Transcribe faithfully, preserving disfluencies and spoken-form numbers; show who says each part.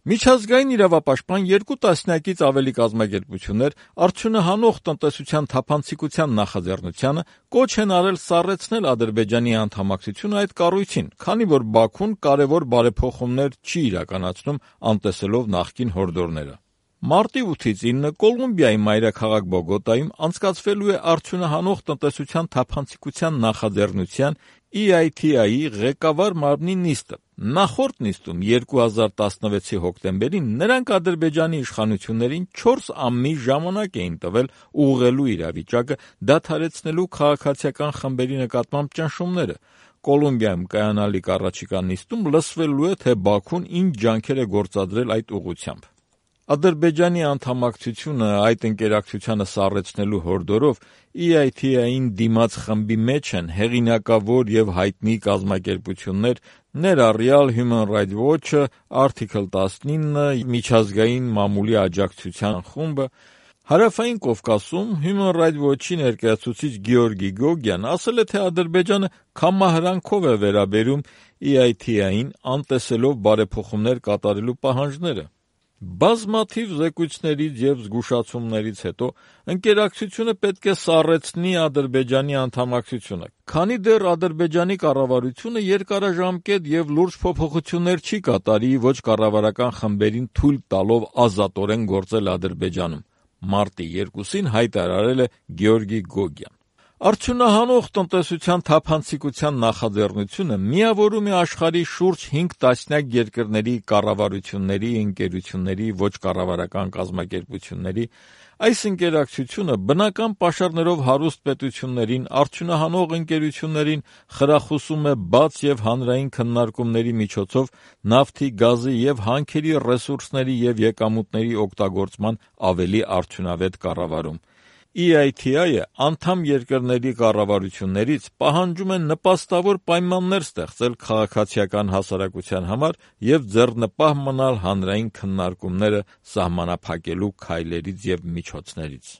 Speaker 1: Միջազգային իրավապաշտպան երկու տասնյակից ավելի կազմակերպություններ արդյունահանող տնտեսության թափանցիկության նախաձեռնությանը կոչ են արել սառեցնել Ադրբեջանի անդամակցությունը այդ կառույցին, քանի որ Բաքուն կարևոր բարեփոխումներ չի իրականացնում, անտեսելով նախկին հորդորները։ Մարտի ութից ինը Կոլումբիայի մայրաքաղաք Բոգոտայում անցկացվելու է արդյունահանող տնտեսության թափանցիկության նախաձեռնության E I T I-ի ղեկավար մարմնի նիստը։ Նախորդ նիստում երկու հազար տասնվեցի հոկտեմբերին նրանք Ադրբեջանի իշխանություններին չորս ամիս ժամանակ էին տվել ուղղելու իրավիճակը, դադարեցնելու քաղաքացիական խմբերի նկատմամբ ճնշումները։ Կոլումբիայում կայանալիք առաջիկա նիստում լսվելու է, թե Բաքուն ինչ ջանքեր է գործադրել այդ ուղղությամբ։ Ադրբեջանի անդամակցությունը այդ ընկերակցությանը սառեցնելու հորդորով E I T I-ին դիմաց խմբի մեջ են հեղինակավոր եւ հայտնի կազմակերպություններ, ներառյալ Human Rights Watch-ը, Article տասնինը, միջազգային մամուլի աջակցության խումբը։ Հարավային Կովկասում Human Rights Watch-ի ներկայացուցիչ Գեորգի Գոգյան ասել է, թե Ադրբեջանը քամահրանքով է վերաբերում E I T I-ին, անտեսելով բարեփոխումներ կատարելու պահանջները։ Բազմաթիվ զեկույցներից եւ զգուշացումներից հետո ընկերակցությունը պետք է սառեցնի Ադրբեջանի անդամակցությունը, քանի դեռ Ադրբեջանի կառավարությունը երկարաժամկետ եւ լուրջ փոփոխություններ չի կատարի ոչ կառավարական խմբերին թույլ տալով ազատորեն գործել Ադրբեջանում, մարտի երկուսին հայտարարել է Գեորգի Գոգյան։ Արդյունահանող տնտեսության թափանցիկության նախաձեռնությունը միավորում է աշխարհի շուրջ հինգ տասնյակ երկրների կառավարությունների, ընկերությունների, ոչ կառավարական կազմակերպությունների։ Այս ընկերակցությունը բնական պաշարներով հարուստ պետություններին, արդյունահանող ընկերություններին խրախուսում է բաց եւ հանրային քննարկումների միջոցով նավթի, գազի եւ հանքերի ռեսուրսների եւ եկամուտների օգտագործման ավելի արդյունավետ կառավարում։ E I T I-ը անդամ երկրների կառավարություններից պահանջում է նպաստավոր պայմաններ ստեղծել քաղաքացիական հասարակության համար եւ ձեռնպահ մնալ հանրային քննարկումները սահմանափակելու քայլերից եւ միջոցներից։